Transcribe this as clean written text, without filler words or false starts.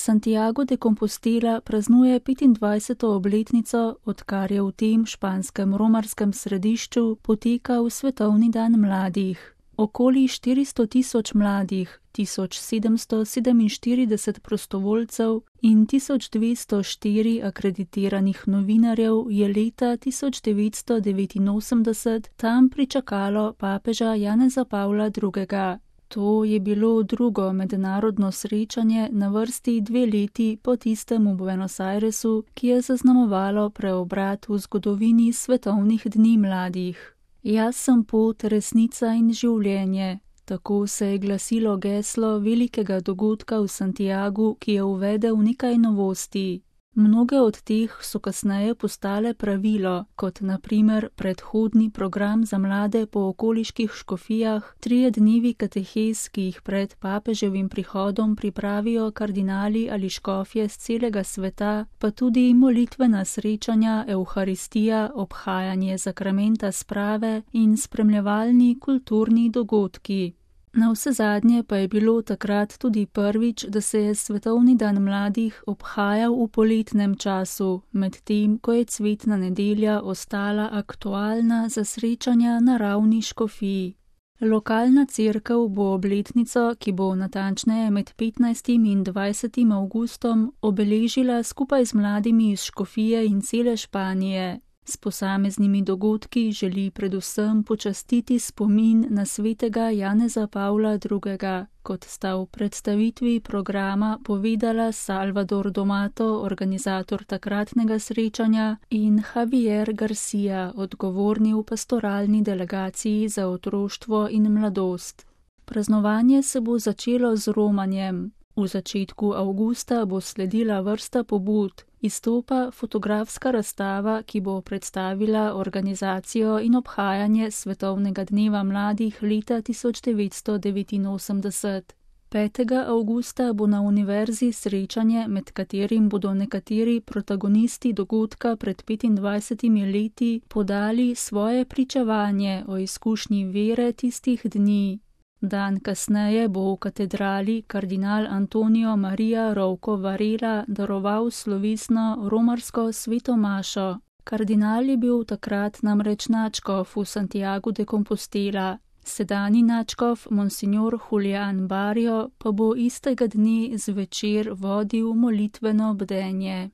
Santiago de Compostela praznuje 25. obletnico, odkar je v tem španskem romarskem središču potekal Svetovni dan mladih. Okoli 400 tisoč mladih, 1747 prostovoljcev in 1204 akreditiranih novinarjev je leta 1989 tam pričakalo papeža Janeza Pavla II. To je bilo drugo mednarodno srečanje na vrsti 2 leti po tistem v Buenos Airesu, ki je zaznamovalo preobrat v zgodovini svetovnih dni mladih. Jaz sem pot, resnica in življenje. Tako se je glasilo geslo velikega dogodka v Santiagu, ki je uvedel nekaj novosti. Mnoge od teh so kasneje postale pravilo, kot na primer predhodni program za mlade po okoliških škofijah, 3 dnevi katehez, ki jih pred papeževim prihodom pripravijo kardinali ali škofje z celega sveta, pa tudi molitvena srečanja, evharistija, obhajanje sakramenta sprave in spremljevalni kulturni dogodki. Navsezadnje pa je bilo takrat tudi prvič, da se je Svetovni dan mladih obhajal v poletnem času, medtem ko je cvetna nedelja ostala aktualna za srečanja na ravni škofiji. Lokalna cerkev bo obletnico, ki bo natančneje med 15. in 20. avgustom, obeležila skupaj z mladimi iz škofije in cele Španije. S posameznimi dogodki želi predvsem počastiti spomin na svetega Janeza Pavla II., kot sta v predstavitvi programa povedala Salvador Domato, organizator takratnega srečanja, in Javier Garcia, odgovorni v pastoralni delegaciji za otroštvo in mladost. Praznovanje se bo začelo z romanjem. V začetku avgusta bo sledila vrsta pobud, izstopa fotografska razstava, ki bo predstavila organizacijo in obhajanje Svetovnega dneva mladih leta 1989. 5. avgusta bo na univerzi srečanje, med katerim bodo nekateri protagonisti dogodka pred 25 leti podali svoje pričevanje o izkušnji vere tistih dni. Dan kasneje bo v katedrali kardinal Antonio Maria Rouco Varela daroval slovesno romarsko svetomašo. Kardinal je bil takrat namreč nadškof v Santiagu de Compostela. Sedanji nadškof Monsignor Julián Barrio pa bo istega dne zvečer vodil molitveno bdenje.